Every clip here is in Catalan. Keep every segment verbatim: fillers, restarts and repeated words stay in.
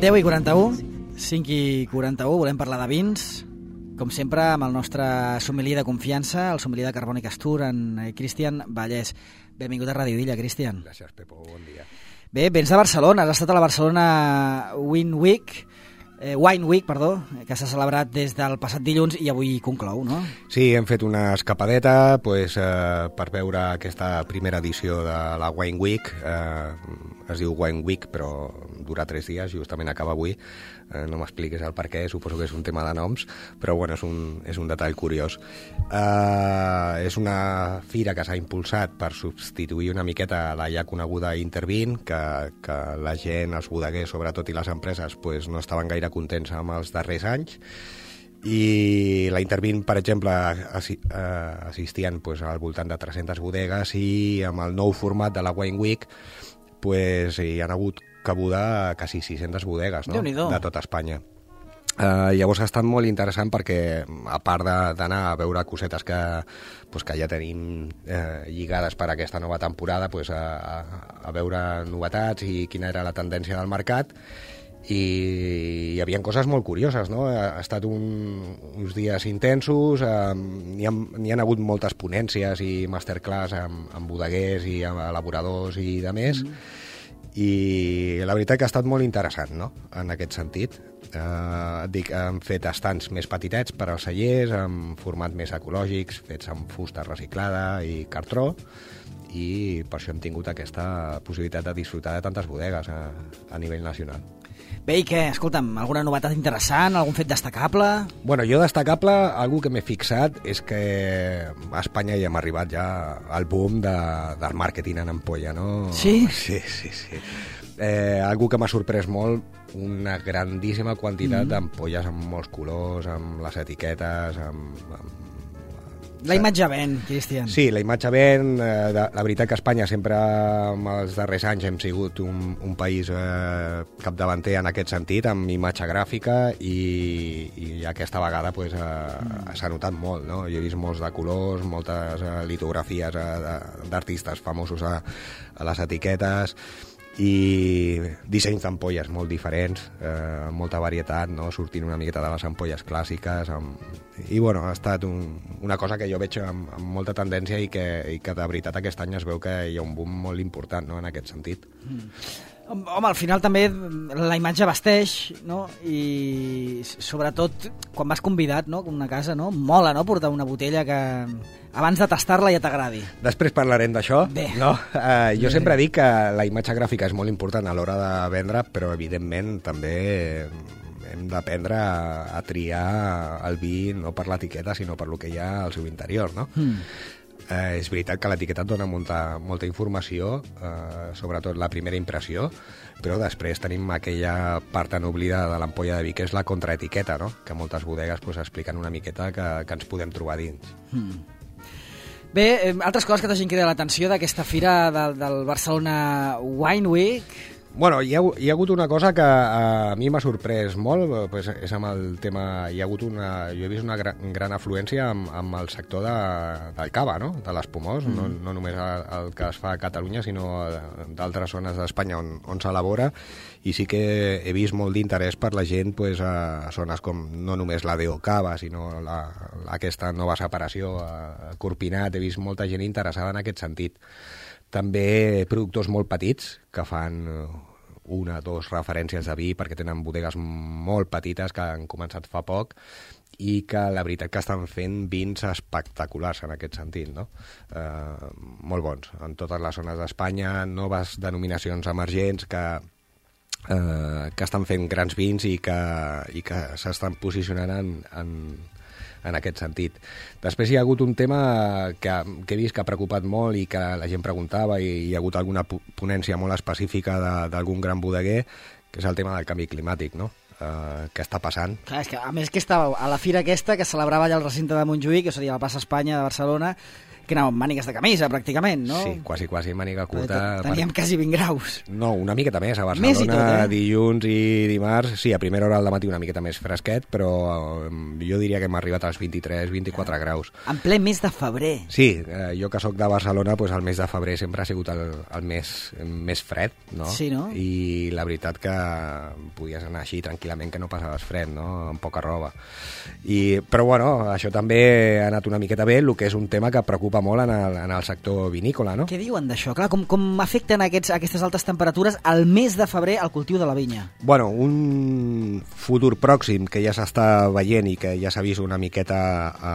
deu i quaranta-u, cinc i quaranta-u, volem parlar de vins, com sempre amb el nostre sommelier de confiança, el sommelier de Carbònic Astur, en Cristian Vallès. Benvingut a Ràdio Illa, Cristian. Gràcies, Pepo, bon dia. Bé, vens de Barcelona, has estat a la Barcelona Wine Week, eh, Wine Week, perdó, que s'ha celebrat des del passat dilluns i avui conclou, no? Sí, hem fet una escapadeta pues, eh, per veure aquesta primera edició de la Wine Week. Eh, es diu Wine Week, però dura tres dies, justament acaba avui. Eh, no m'expliquis el per què, suposo que és un tema de noms, però bueno, és un, és un detall curiós. Eh, és una fira que s'ha impulsat per substituir una miqueta la ja coneguda Intervin, que, que la gent, els bodeguers, sobretot, i les empreses pues, no estaven gaire contents amb els darrers anys. I la Intervin, per exemple, assistien pues, al voltant de tres-centes bodegues i amb el nou format de la Wine Week pues, hi han hagut cabuda quasi sis-centes bodegues, no? De tota Espanya. Uh, llavors ha estat molt interessant perquè, a part d'anar a veure cosetes que, pues, que ja tenim eh, lligades per a aquesta nova temporada, pues, a, a, a veure novetats i quina era la tendència del mercat, i hi havia coses molt curioses, no? Ha estat un, uns dies intensos, eh, n'hi ha, n'hi ha hagut moltes ponències i masterclass amb, amb bodeguers i amb elaboradors i de més, mm. i la veritat que ha estat molt interessant, no?, en aquest sentit. Eh, dic, hem fet estants més petitets per als cellers, amb format més ecològics, fets amb fusta reciclada i cartró, i per això hem tingut aquesta possibilitat de disfrutar de tantes bodegues a, a nivell nacional. Bé, i què? Escolta'm, alguna novetat interessant, algun fet destacable? Bueno, jo destacable, algú que m'he fixat és que a Espanya ja hem arribat ja al boom de, del màrqueting en ampolla, no? Sí? Sí, sí, sí. Eh, algú que m'ha sorprès molt, una grandíssima quantitat mm. d'ampolles amb molts colors, amb les etiquetes, amb... amb La imatge ven, Cristian. Sí, la imatge ven. Eh, de, la veritat que Espanya sempre, en els darrers anys, hem sigut un, un país eh, capdavanter en aquest sentit, amb imatge gràfica, i, i aquesta vegada pues, eh, mm. s'ha notat molt, no? Jo he vist molts de colors, moltes eh, litografies eh, d'artistes famosos a, a les etiquetes, i dissenys d'ampolles molt diferents, eh, amb molta varietat, no? Sortint una miqueta de les ampolles clàssiques, amb... i bueno, ha estat un, una cosa que jo veig amb, amb molta tendència i que, i que de veritat aquest any es veu que hi ha un boom molt important, no?, en aquest sentit. Mm. Home, al final també la imatge vesteix, no? I sobretot quan vas convidat, no?, a una casa, no? Mola, no?, portar una botella que abans de tastar-la ja t'agradi. Després parlarem d'això. Bé. No? Uh, jo Bé. sempre dic que la imatge gràfica és molt important a l'hora de vendre, però evidentment també hem d'aprendre a, a triar el vi no per l'etiqueta, sinó per lo que hi ha al seu interior, no? Mm. Eh, és veritat que l'etiqueta et dona molta, molta informació, eh, sobretot la primera impressió, però després tenim aquella part tan oblidada de l'ampolla de vi, que és la contraetiqueta, no?, que moltes bodegues pues, expliquen una miqueta que, que ens podem trobar dins. Hmm. Bé, eh, altres coses que t'hagin cridat l'atenció d'aquesta fira del, del Barcelona Wine Week? Bueno, hi ha, hi ha hagut una cosa que a mi m'ha sorprès molt, pues és amb el tema... Hi ha hagut una... Jo he vist una gran, gran afluència amb, amb el sector de, del cava, no?, de l'espumós, mm. no, no només el, el que es fa a Catalunya, sinó d'altres zones d'Espanya on, on s'elabora, i sí que he vist molt d'interès per la gent pues, a zones com no només la Deo Cava, sinó la, aquesta nova separació a Corpinat. He vist molta gent interessada en aquest sentit. També productors molt petits que fan una o dues referències de vi perquè tenen bodegues molt petites que han començat fa poc i que la veritat que estan fent vins espectaculars en aquest sentit, no? Eh, molt bons, en totes les zones d'Espanya, noves denominacions emergents que, eh, que estan fent grans vins i que, i que s'estan posicionant en... en en aquest sentit. Després hi ha hagut un tema que, que he vist que ha preocupat molt i que la gent preguntava, i hi ha hagut alguna ponència molt específica d'algun gran bodeguer, que és el tema del canvi climàtic, no? Uh, què està passant? Clar, és que, a més que estava a la fira aquesta que celebrava allà al recinte de Montjuïc, que seria la plaça Espanya de Barcelona, que anàvem amb mànigues de camisa, pràcticament, no? Sí, quasi, quasi màniga curta. Teníem per... quasi vint graus. No, una miqueta més. A Barcelona, més i tot, eh? dilluns i dimarts, sí, a primera hora del matí una miqueta més fresquet, però jo diria que hem arribat als vint-i-tres vint-i-quatre ah. graus. En ple mes de febrer. Sí, eh, jo que sóc de Barcelona, pues el mes de febrer sempre ha sigut el, el mes més fred, no? Sí, no? I la veritat que podies anar així tranquil·lament, que no passaves fred, no? Amb poca roba. I, però bueno, això també ha anat una miqueta bé, el que és un tema que preocupa molt en el, en el sector vinícola, no? Què diuen d'això? Clar, com, com afecten aquests, aquestes altes temperatures al mes de febrer al cultiu de la vinya? Bueno, un futur pròxim que ja s'està veient i que ja s'ha vist una miqueta a,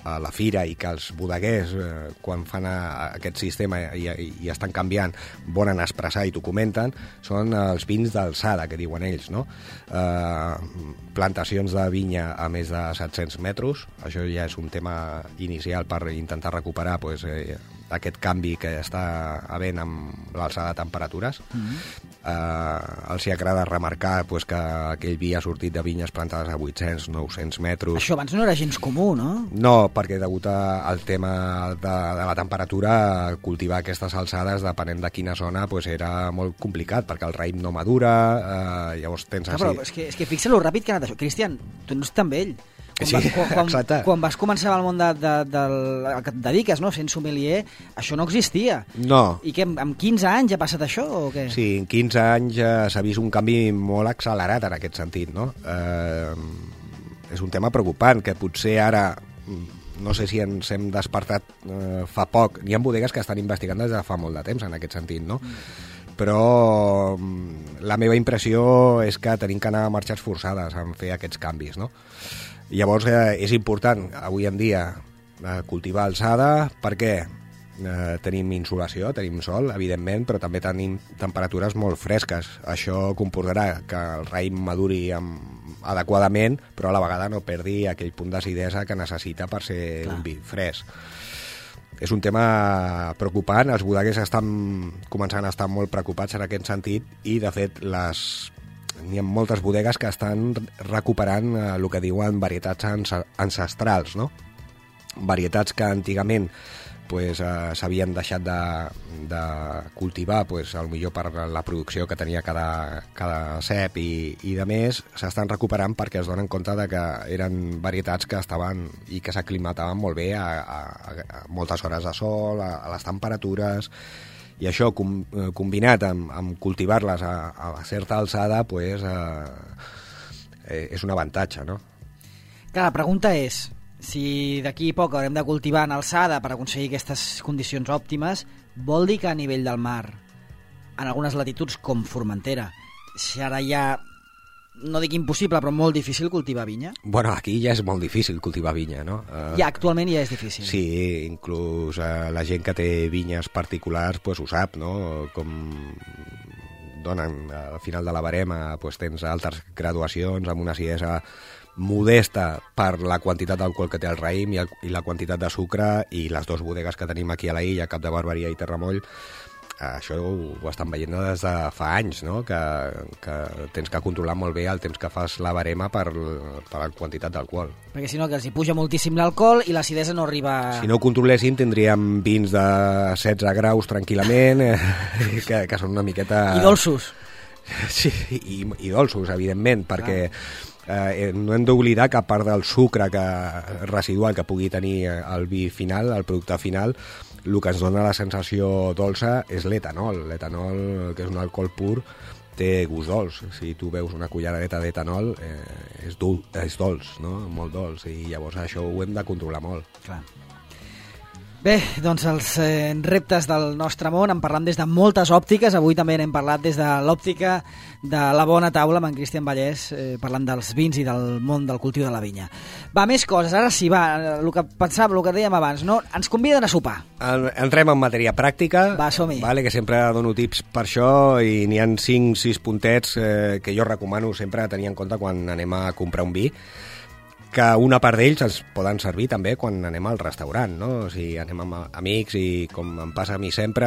a la fira i que els bodeguers, eh, quan fan a, a aquest sistema i, i, i estan canviant, volen expressar i t'ho comenten, són els vins d'alçada, que diuen ells, no? Eh, plantacions de vinya a més de set-cents metres, això ja és un tema inicial per intentar recuperar pues, eh, aquest canvi que està havent amb l'alçada de temperatures. Mm-hmm. eh, els hi agrada remarcar pues, que aquell vi ha sortit de vinyes plantades a vuit-cents nou-cents metres. Això abans no era gens comú, no? No, perquè degut al tema de, de la temperatura, cultivar aquestes alçades, depenent de quina zona, pues, era molt complicat, perquè el raïm no madura, eh, llavors tens Clar, així... però és que, és que fixa lo ràpid que ha anat això. Cristian, tu no ets tan vell. Quan, sí, vas, quan, quan, exacte. Quan vas començar al món de, de, del que et dediques, no? Sent sommelier, això no existia. No. I que amb quinze anys ha passat això o què? Sí, en quinze anys eh, s'ha vist un canvi molt accelerat en aquest sentit, no? Eh, és un tema preocupant, que potser ara, no sé si ens hem despertat eh, fa poc, hi ha bodegues que estan investigant des de fa molt de temps en aquest sentit, no? Mm. Però la meva impressió és que tenim que anar a marxes forçades en fer aquests canvis, no? Llavors eh, és important avui en dia eh, cultivar alçada perquè eh, tenim insolació, tenim sol, evidentment, però també tenim temperatures molt fresques. Això comportarà que el raïm maduri amb, adequadament, però a la vegada no perdi aquell punt d'acidesa que necessita per ser Clar. un vi fresc. És un tema preocupant, els bodeguers estan començant a estar molt preocupats en aquest sentit i, de fet, les... n'hi ha moltes bodegues que estan recuperant eh, el que diuen varietats ancestrals, no? Varietats que antigament pues, eh, s'havien deixat de, de cultivar, pues, potser per la producció que tenia cada, cada cep i, i de més, s'estan recuperant perquè es donen compte de que eren varietats que estaven i que s'aclimataven molt bé a, a, a moltes hores de sol, a, a les temperatures, i això com, eh, combinat amb, amb cultivar-les a, a certa alçada pues, eh, és un avantatge, no? Clar, la pregunta és si d'aquí a poc haurem de cultivar en alçada per aconseguir aquestes condicions òptimes, vol dir que a nivell del mar, en algunes latituds com Formentera, si ara ja, no dic impossible, però molt difícil cultivar vinya? Bueno, aquí ja és molt difícil cultivar vinya, no? Uh, ja, actualment ja és difícil. Sí, inclús uh, la gent que té vinyes particulars pues, ho sap, no? Com donen al final de la barema, pues, tens altres graduacions amb una acidesa modesta per la quantitat d'alcohol que té el raïm i, el, i la quantitat de sucre, i les dues bodegues que tenim aquí a la illa, Cap de Barberia i Terramoll, això ho, ho estan veient des de fa anys, no? que, que tens que controlar molt bé el temps que fas la barema per, per la quantitat d'alcohol. Perquè si no, que els hi puja moltíssim l'alcohol i l'acidesa no arriba... Si no ho controléssim, tindríem vins de setze graus tranquil·lament, eh, que, que són una miqueta... I dolços. Sí, i, i dolços, evidentment, perquè... Eh, no hem d'oblidar que a part del sucre que, residual que pugui tenir el vi final, el producte final, el que ens dona la sensació dolça és l'etanol. L'etanol, que és un alcohol pur, té gust dolç. Si tu veus una culleradeta d'etanol, eh, és, dul, és dolç, no? Molt dolç, i llavors això ho hem de controlar molt. Clar. Bé, doncs els eh, reptes del nostre món, en parlam des de moltes òptiques. Avui també n'hem parlat des de l'òptica de la bona taula amb en Cristian Vallès, eh, parlant dels vins i del món del cultiu de la vinya. Va, més coses. Ara sí, va, el que pensàvem, el que dèiem abans, no? Ens conviden a sopar. Entrem en matèria pràctica. Va, som-hi. Vale, que sempre dono tips per això, i n'hi ha cinc sis puntets eh, que jo recomano sempre tenir en compte quan anem a comprar un vi, que una part d'ells ens poden servir també quan anem al restaurant, no? O sigui, anem amb amics i, com em passa a mi sempre,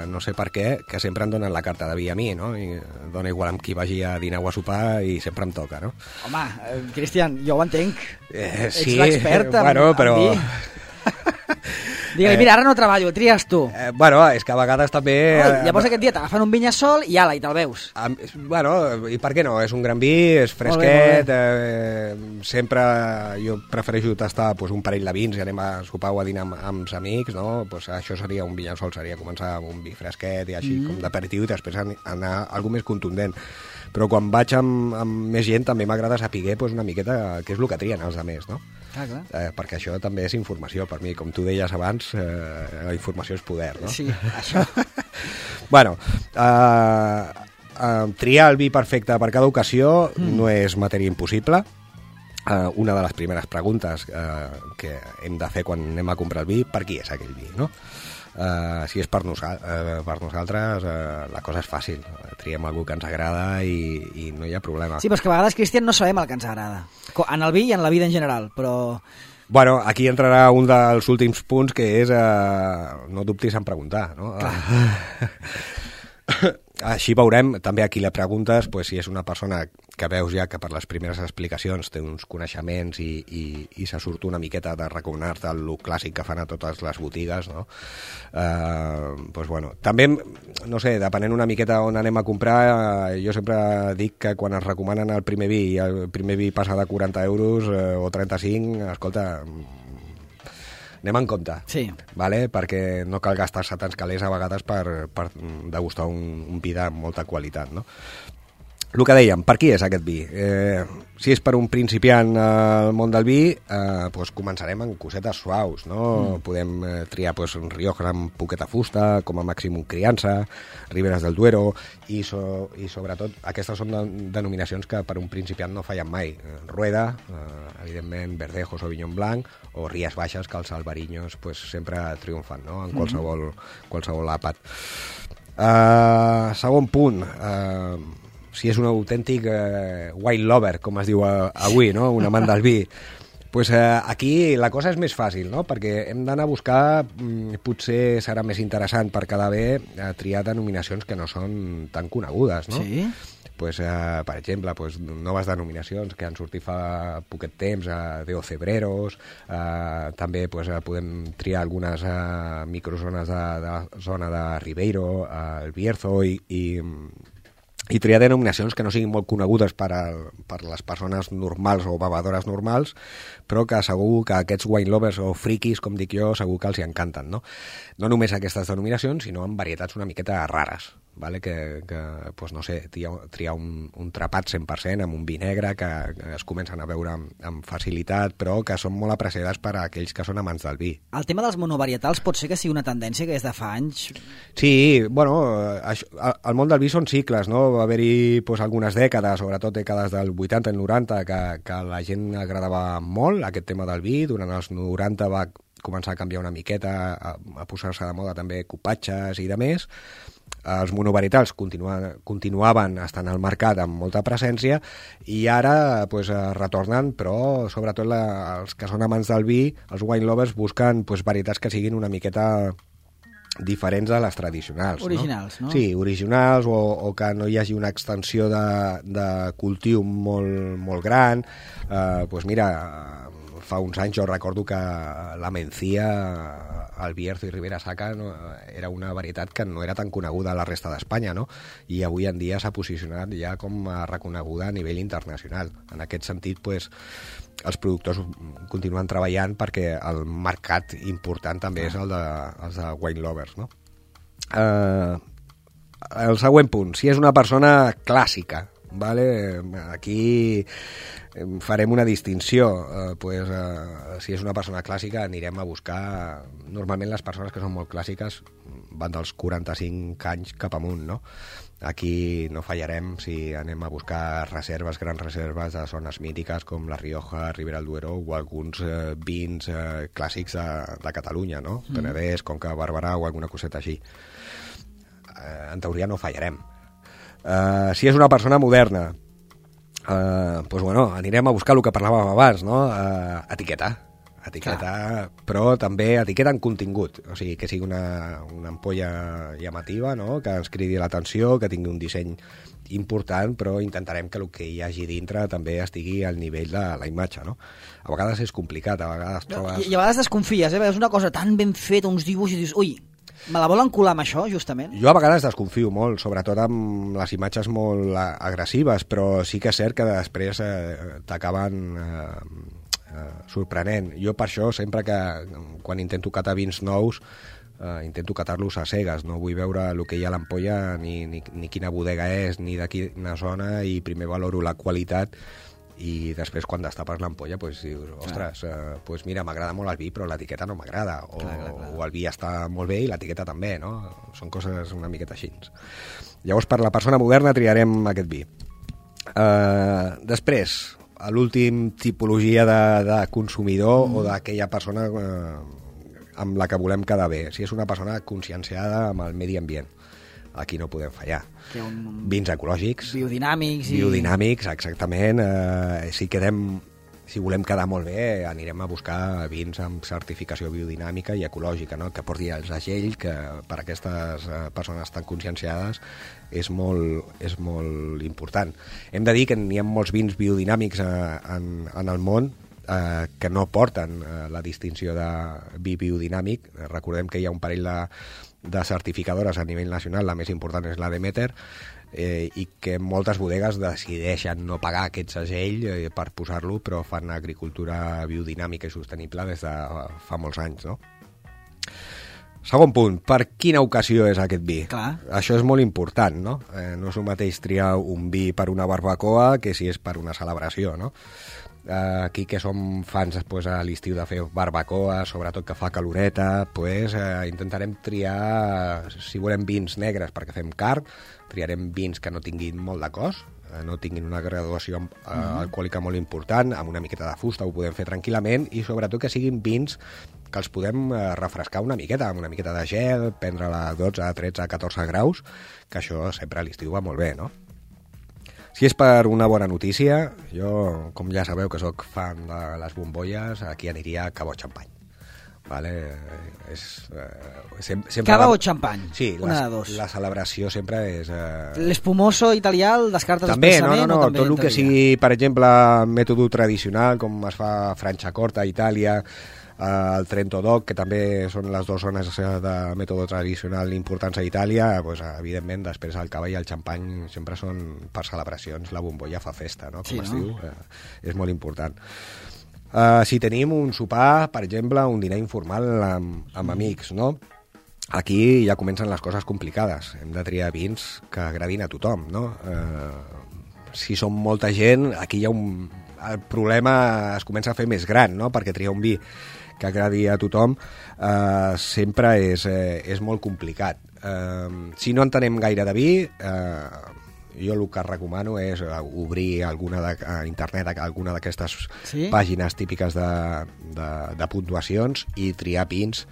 no sé per què, que sempre em donen la carta de vi a mi, no? I dona igual amb qui vagi a dinar o a sopar i sempre em toca, no? Home, eh, Cristian, jo ho entenc. Eh, sí, ets l'expert en, bueno, però... en vi. Digue-li, mira, ara no treballo, tries tu. Eh, bueno, és que a vegades també... Oh, llavors aquest dia t'agafen un vinyasol i ala, i te'l veus. A, bueno, i per què no? És un gran vi, és fresquet, molt bé, molt bé. Eh, sempre jo prefereixo tastar pues, un parell de vins i anem a sopar o a dinar amb, amb els amics, no? Pues això seria un vinyasol, seria començar amb un vi fresquet i així mm. com d'aperitiu i després anar a algo més contundent. Però quan vaig amb, amb més gent també m'agrada saber pues, una miqueta què és el que trien els altres, no? Ah, clar. Eh, perquè això també és informació per mi, com tu deies abans, eh, la informació és poder, no? Sí, això. Bueno, eh, eh, triar el vi perfecte per cada ocasió mm. no és matèria impossible. Uh, una de les primeres preguntes uh, que hem de fer quan anem a comprar el vi, per qui és aquell vi, no? Uh, si és per, nosa uh, per nosaltres, uh, la cosa és fàcil. Triem algú que ens agrada i, i no hi ha problema. Sí, però és que a vegades, Cristian, no sabem el que ens agrada. En el vi i en la vida en general, però... Bueno, aquí entrarà un dels últims punts, que és uh, no dubtis en preguntar, no? Clar. Així veurem, també aquí la preguntes, pues, si és una persona que veus ja que per les primeres explicacions té uns coneixements i, i, i se surt una miqueta de recomanar-te el clàssic que fan a totes les botigues, no? Eh, pues, bueno, també, no sé, depenent una miqueta on anem a comprar, eh, jo sempre dic que quan es recomanen el primer vi i el primer vi passa de quaranta euros eh, o trenta-cinc, escolta... anem en compte, sí. Vale? Perquè no cal gastar-se tants calés a vegades per, per degustar un, un vi de molta qualitat, no? El que dèiem, per qui és aquest vi? Eh, si és per un principiant al món del vi, eh, pues començarem amb cosetes suaus, no? Mm. Podem eh, triar pues, un Rioja amb poqueta fusta, com a màxim un Criança, Riberas del Duero, i, so, i sobretot aquestes són de, denominacions que per un principiant no fallen mai. Rueda, eh, evidentment, Verdejo, Sauvignon Blanc, o Ries Baixes, que els albarinyos pues, sempre triomfan, no? En qualsevol, mm. qualsevol àpat. Uh, segon punt, uh, si és un autèntic eh, wine lover, com es diu avui, no? Un amant del vi, pues, eh, aquí la cosa és més fàcil, no? Perquè hem d'anar a buscar, mm, potser serà més interessant per cada bé eh, triar denominacions que no són tan conegudes, no? Sí. Pues, eh, per exemple, pues, noves denominacions que han sortit fa poquet temps, eh, de Ocebreros, eh, també pues, eh, podem triar algunes eh, microzones de, de la zona de Ribeiro, eh, el Bierzo i... i i triar denominacions que no siguin molt conegudes per, a, per les persones normals o bevedores normals, però que segur que aquests wine lovers o friquis, com dic jo, segur que els hi encanten, no? No només aquestes denominacions, sinó en varietats una miqueta rares, vale? que, que pues no sé, triar un, un trapat cent per cent amb un vi negre que, que es comencen a veure amb, amb facilitat, però que són molt apreciades per a aquells que són amants del vi. El tema dels monovarietals pot ser que sigui una tendència que és de fa anys? Sí, bueno, això, el món del vi són cicles, no? Va haver-hi pues, algunes dècades, sobretot dècades del vuitanta i noranta, que, que la gent agradava molt aquest tema del vi. Durant els noranta va començar a canviar una miqueta, a, a posar-se de moda també cupatges i de més. Els monovarietals continua, continuaven estant al mercat amb molta presència i ara pues, retornen, però sobretot la, els que són amants del vi, els wine lovers, busquen pues, varietats que siguin una miqueta diferents de les tradicionals. Originals, no? no? Sí, originals, o, o que no hi hagi una extensió de, de cultiu molt, molt gran. Eh, pues mira, fa uns anys jo recordo que la mencia, el Bierzo i Ribera Sacra no, era una varietat que no era tan coneguda a la resta d'Espanya, no? I avui en dia s'ha posicionat ja com a reconeguda a nivell internacional. En aquest sentit, pues, els productors continuen treballant perquè el mercat important també és el de, els de wine lovers, no? Uh, el següent punt, si és una persona clàssica, vale? Aquí farem una distinció, uh, pues, uh, si és una persona clàssica anirem a buscar, normalment les persones que són molt clàssiques van dels quaranta-cinc anys cap amunt, no? Aquí no fallarem si anem a buscar reserves, grans reserves de zones mítiques com la Rioja, Ribera del Duero o alguns eh, vins eh, clàssics de, de Catalunya, no? Mm. Penedès, Conca, Barberà o alguna coseta així. Eh, en teoria no fallarem. Eh, si és una persona moderna, eh, pues bueno, anirem a buscar el que parlàvem abans, no? Eh, etiqueta. etiqueta, Clar. però també etiqueta en contingut, o sigui, que sigui una, una ampolla llamativa, no? Que ens cridi l'atenció, que tingui un disseny important, però intentarem que el que hi hagi dintre també estigui al nivell de la imatge, no? A vegades és complicat, a vegades trobes... I, i a vegades desconfies, eh? És una cosa tan ben feta, uns dibuixos, i dius, ui, me la volen colar amb això, justament? Jo a vegades desconfio molt, sobretot amb les imatges molt agressives, però sí que és cert que després eh, t'acaben eh, eh, sorprenent. Jo per això, sempre que quan intento catar vins nous, eh, intento catar-los a cegues, no vull veure el que hi ha a l'ampolla, ni, ni, ni quina bodega és, ni de quina zona, i primer valoro la qualitat, i després quan destapes l'ampolla pues, dius, ostres, eh, pues mira, m'agrada molt el vi però l'etiqueta no m'agrada, o, clar, clar, clar. o el vi està molt bé i l'etiqueta també, no? Són coses una miqueta així. Llavors per la persona moderna triarem aquest vi. Eh, després, a l'últim tipologia de, de consumidor mm. o d'aquella persona eh, amb la que volem quedar bé, si és una persona conscienciada amb el medi ambient, aquí no podem fallar. Un... Vins ecològics. Biodinàmics. I... Biodinàmics, exactament. Eh, si, quedem, si volem quedar molt bé, anirem a buscar vins amb certificació biodinàmica i ecològica, no? Que porti el segell, que per a aquestes persones tan conscienciades és molt, és molt important. Hem de dir que n'hi ha molts vins biodinàmics eh, en, en el món eh, que no porten eh, la distinció de vi biodinàmic. Recordem que hi ha un parell de de certificadores a nivell nacional, la més important és la Demeter, eh, i que moltes bodegues decideixen no pagar aquest segell eh, per posar-lo, però fan agricultura biodinàmica i sostenible des de fa molts anys, no? Segon punt, per quina ocasió és aquest vi? Clar. Això és molt important, no? Eh, no és el mateix triar un vi per una barbacoa que si és per una celebració, no? Aquí que som fans pues, a l'estiu de fer barbacoa, sobretot que fa caloreta, pues, eh, intentarem triar, si volem vins negres perquè fem carn, triarem vins que no tinguin molt de cos, eh, no tinguin una graduació eh, mm-hmm. alcohòlica molt important, amb una miqueta de fusta ho podem fer tranquil·lament, i sobretot que siguin vins que els podem eh, refrescar una miqueta, amb una miqueta de gel, prendre-la a dotze, tretze, catorze graus, que això sempre a l'estiu va molt bé, no? Si és per una bona notícia, jo, com ja sabeu que sóc fan de les bombolles, aquí aniria cava o xampany. Vale? És, eh, sem sempre cava la... o xampany? Sí, una la, de dos. La celebració sempre és... Eh... L'espumoso italià el descartes també, expressament? No, no, no, també tot el que sigui, per exemple, mètode tradicional, com es fa a Franciacorta, a Itàlia, el Trento Doc, que també són les dues zones de mètode tradicional importants a Itàlia, pues, evidentment després el cava i el xampany sempre són per celebracions, la bombolla fa festa, no? Com sí, es no? diu, eh, és molt important. Uh, si tenim un sopar, per exemple, un dinar informal amb, amb amics, no? Aquí ja comencen les coses complicades, hem de triar vins que agradin a tothom, no? Uh, si som molta gent, aquí hi ha un... el problema es comença a fer més gran, no? Perquè triar un vi que agradi a tothom eh, sempre és, eh, és molt complicat. Eh, si no entenem gaire de vi, eh, jo el que recomano és obrir alguna de, a internet alguna d'aquestes sí? pàgines típiques de, de, de puntuacions i triar vins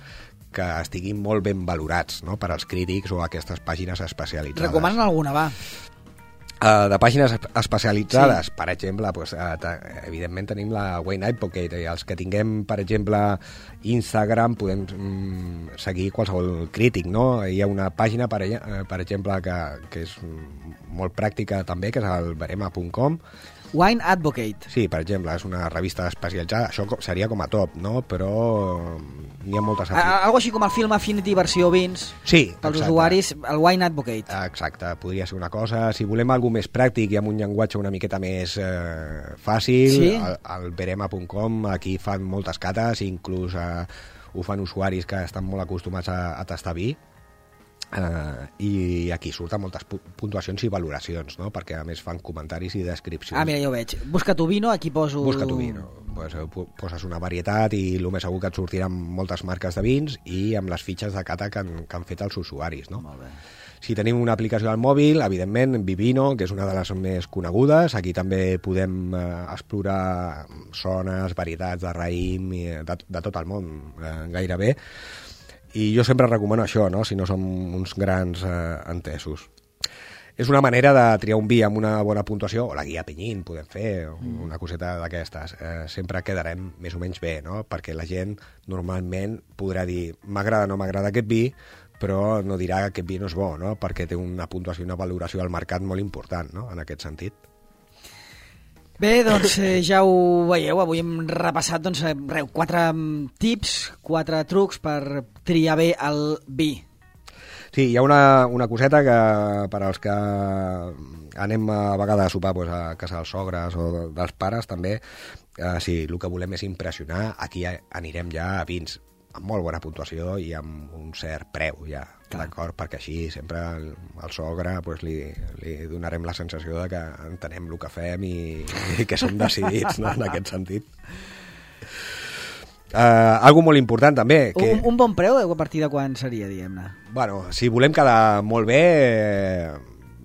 que estiguin molt ben valorats, no? Per als crítics o aquestes pàgines especialitzades. Recomanen alguna, va? Uh, de pàgines especialitzades, sí. Per exemple, pues, uh, evidentment tenim la Wine Advocate, i els que tinguem, per exemple, Instagram, podem mm, seguir qualsevol crític, no? Hi ha una pàgina, per, per exemple, que, que és molt pràctica també, que és el verema punt com. Wine Advocate. Sí, per exemple, és una revista especialitzada, això seria com a top, no? Però n'hi ha moltes... A, algo així com el film Affinity versió vins, sí, pels exacte. Usuaris, el Wine Advocate. Exacte, podria ser una cosa. Si volem alguna més pràctic i amb un llenguatge una miqueta més eh, fàcil, sí? al, al verema punt com, aquí fan moltes cates, inclús eh, ho fan usuaris que estan molt acostumats a, a tastar vi. Uh, i aquí surten moltes puntuacions i valoracions, no? Perquè a més fan comentaris i descripcions. Ah, mira, ja ho veig. Busca tu vino, aquí poso... Busca tu vino. Pues, poses una varietat i el més segur que et sortiran moltes marques de vins i amb les fitxes de cata que han, que han fet els usuaris, no? Molt bé. Si tenim una aplicació al mòbil, evidentment, Vivino, que és una de les més conegudes. Aquí també podem eh, explorar zones, varietats de raïm, de, de tot el món, eh, gairebé. I jo sempre recomano això, no? Si no som uns grans eh, entesos. és una manera de triar un vi amb una bona puntuació, o la guia Penyín podem fer, o una coseta d'aquestes. Eh, sempre quedarem més o menys bé, no? Perquè la gent normalment podrà dir m'agrada o no m'agrada aquest vi, però no dirà que aquest vi no és bo, no? Perquè té una puntuació i una valoració al mercat molt important, no? En aquest sentit. Bé, doncs eh, ja ho veieu, avui hem repassat doncs, eh, reu, quatre tips, quatre trucs per triar bé el vi. Sí, hi ha una, una coseta que per als que anem a vegades a sopar pues, a casa dels sogres o dels pares també, eh, si el que volem és impressionar, aquí anirem ja a vins amb molt bona puntuació i amb un cert preu ja, d'acord? Perquè així sempre al, al sogre pues, li, li donarem la sensació de que entenem el que fem i, i que som decidits, no? En aquest sentit. Uh, algo molt important també que... un, un bon preu a partir de quan seria, diguem-ne? Bueno, si volem quedar molt bé eh,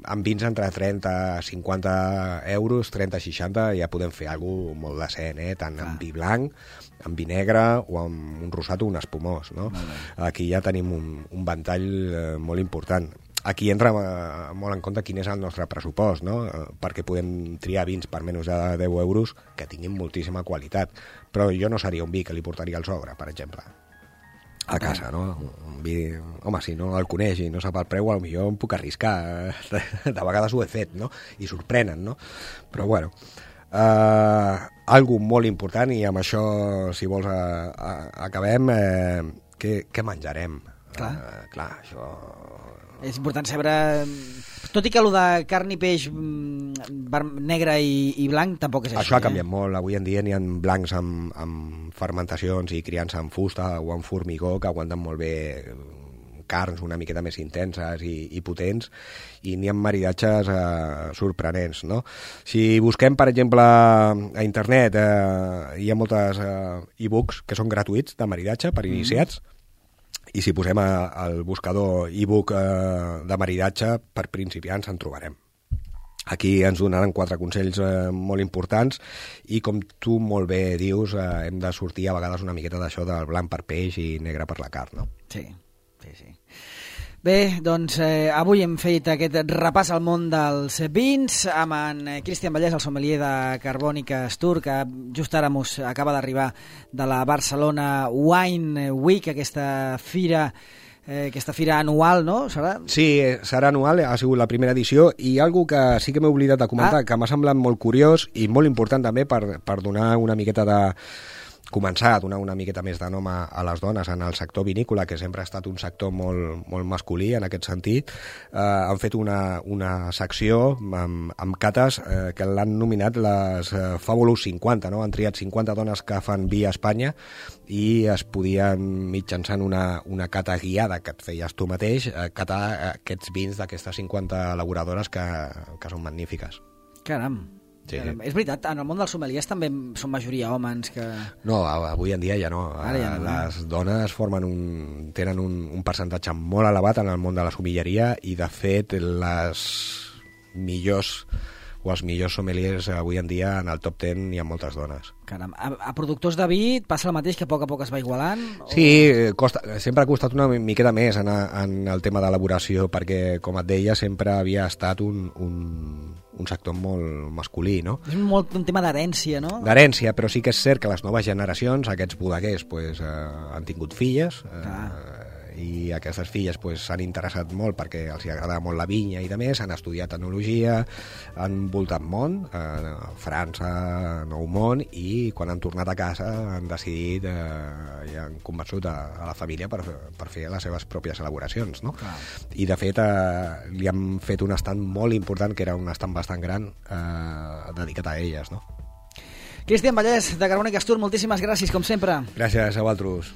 amb vins entre trenta a cinquanta euros, trenta a seixanta ja podem fer alguna cosa molt decent, eh? Tant amb vi blanc, amb vi negre o amb un rosat o un espumós, no? Aquí ja tenim un, un ventall eh, molt important. Aquí entra eh, molt en compte quin és el nostre pressupost, no? Eh, perquè podem triar vins per menys de deu euros que tinguin moltíssima qualitat. Però jo no seria un vi que li portaria al sogre, per exemple, a casa, no? Un vi... Home, si no el coneix i no sap el preu, potser em puc arriscar. De vegades ho he fet, no? I sorprenen, no? Però, bueno, eh, algo molt important, i amb això, si vols, a, a, acabem, eh, què, què menjarem? Clar. Eh, clar, això... És important saber... Tot i que allò de carn i peix negre i, i blanc tampoc és així. Això ha canviat eh? molt. Avui en dia n'hi ha blancs amb, amb fermentacions i criança amb fusta o amb formigó que aguanten molt bé carns una miqueta més intenses i, i potents, i n'hi ha maridatges eh, sorprenents, no? Si busquem, per exemple, a internet, eh, hi ha moltes eh, e-books que són gratuïts de maridatge per iniciats, mm. I si posem a, al buscador e-book eh, de maridatge per principiants en trobarem. Aquí ens donaran quatre consells eh, molt importants i, com tu molt bé dius, eh, hem de sortir a vegades una miqueta d'això del blanc per peix i negre per la carn, no? Sí, sí, sí. Bé, doncs eh, avui hem fet aquest repàs al món dels vins amb en Cristian Vallès, el sommelier de Carbònica Astur, que just ara mos acaba d'arribar de la Barcelona Wine Week, aquesta fira eh, aquesta fira anual, no? Serà? Sí, serà anual, ha sigut la primera edició, i algo que sí que m'he oblidat de comentar, ah. que m'ha semblat molt curiós i molt important també per, per donar una miqueta de... començar a donar una miqueta més de nom a, a les dones en el sector vinícola, que sempre ha estat un sector molt, molt masculí en aquest sentit. Eh, han fet una, una secció amb, amb cates eh, que l'han nominat les eh, Fabulous cinquanta, no? Han triat cinquanta dones que fan vi a Espanya i es podien, mitjançant una, una cata guiada que et feies tu mateix, eh, catar aquests vins d'aquestes cinquanta elaboradores que, que són magnífiques. Caram! Sí. És veritat, en el món dels sommeliers també són majoria homes que... No, avui en dia ja no. Ara ja no. Les dones formen un, tenen un, un percentatge molt elevat en el món de la sommelleria, i de fet les millors o els millors sommeliers avui en dia en el top deu hi ha moltes dones. Caram, a, a productors de vi passa el mateix, que a poc a poc es va igualant? O... Sí, costa, sempre ha costat una miqueta més en, en el tema d'elaboració, perquè, com et deia, sempre havia estat un, un, un sector molt masculí, no? És molt un tema d'herència, no? D'herència, però sí que és cert que les noves generacions, aquests bodeguers, pues, eh, han tingut filles, eh, i aquestes filles pues, s'han interessat molt perquè els agrada molt la vinya i de més, han estudiat enologia, han voltat món, eh, França, Nou Món, i quan han tornat a casa han decidit eh, i han convençut a, a la família per, per fer les seves pròpies elaboracions, no? Clar. I de fet eh, li han fet un estand molt important, que era un estand bastant gran, eh, dedicat a elles, no? Cristian Vallès, de Carbònica Astur, moltíssimes gràcies, com sempre. Gràcies a vosaltres.